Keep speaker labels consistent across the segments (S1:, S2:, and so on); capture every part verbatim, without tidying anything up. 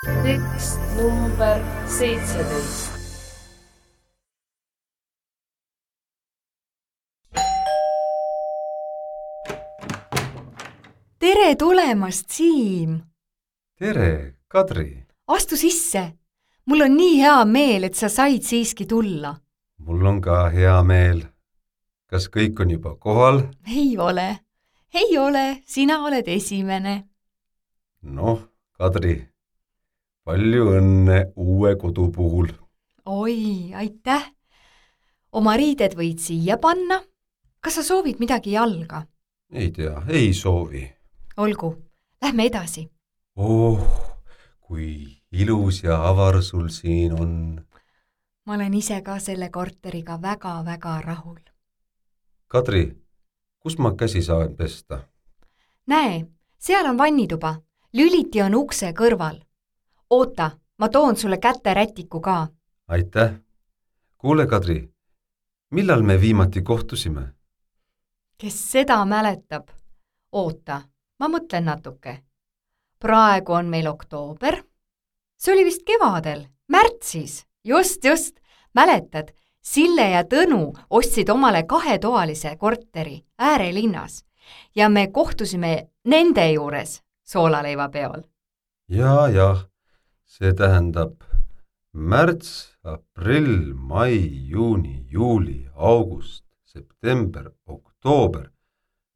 S1: tekst number seitseteist.
S2: Tere tulemast, Siim!
S3: Tere, Kadri!
S2: Astu sisse! Mul on nii hea meel, et sa said siiski tulla.
S3: Mul on ka hea meel. Kas kõik on juba kohal?
S2: Ei ole. Ei ole, sina oled esimene.
S3: Noh, Kadri, palju õnne uue kodu puhul.
S2: Oi, aitäh! Oma riided võid siia panna. Kas sa soovid midagi jalga?
S3: Ei tea, ei soovi.
S2: Olgu, lähme edasi.
S3: Oh, kui ilus ja avar sul siin on.
S2: Ma olen ise ka selle korteriga väga-väga rahul.
S3: Kadri, kus ma käsi saan pesta?
S2: Näe, seal on vannituba. Lüliti on ukse kõrval. Oota, ma toon sulle käterätiku ka.
S3: Aitäh. Kuule, Kadri, millal me viimati kohtusime?
S2: Kes seda mäletab? Oota, ma mõtlen natuke. Praegu on meil oktoober. See oli vist kevadel, märtsis. Just, just. Mäletad, Sille ja Tõnu ostsid omale kahetoalise korteri äärelinnas ja me kohtusime nende juures soolaleiva peol.
S3: Ja, jah, see tähendab märts, aprill, mai, juuni, juuli, august, september, oktoober,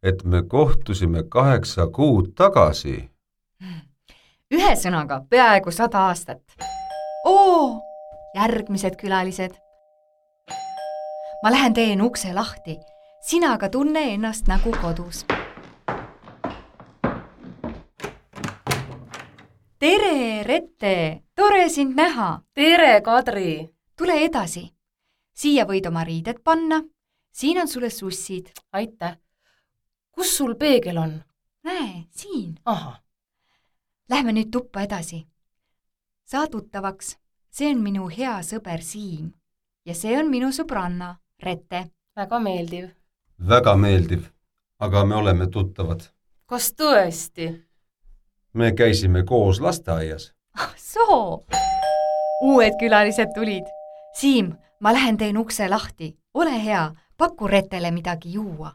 S3: et me kohtusime kaheksa kuud tagasi.
S2: Ühe sõnaga peaaegu sada aastat. Oo, järgmised külalised. Ma lähen teen ukse lahti. Sina aga tunne ennast nagu kodus. Tere, Rette! Tore sind näha!
S1: Tere, Kadri!
S2: Tule edasi. Siia võid oma riided panna. Siin on sulle sussid.
S1: Aitäh. Kus sul peegel on?
S2: Näe, siin.
S1: Aha.
S2: Lähme nüüd tuppa edasi. Saa tuttavaks. See on minu hea sõber Siim. Ja see on minu sõbranna, Rette.
S1: Väga meeldiv.
S3: Väga meeldiv, aga me oleme tuttavad.
S1: Kas tõesti?
S3: Me käisime koos lasteaias.
S2: Ah, soo! Uued külalised tulid. Siim, ma lähen teen ukse lahti. Ole hea, paku Rettele midagi juua.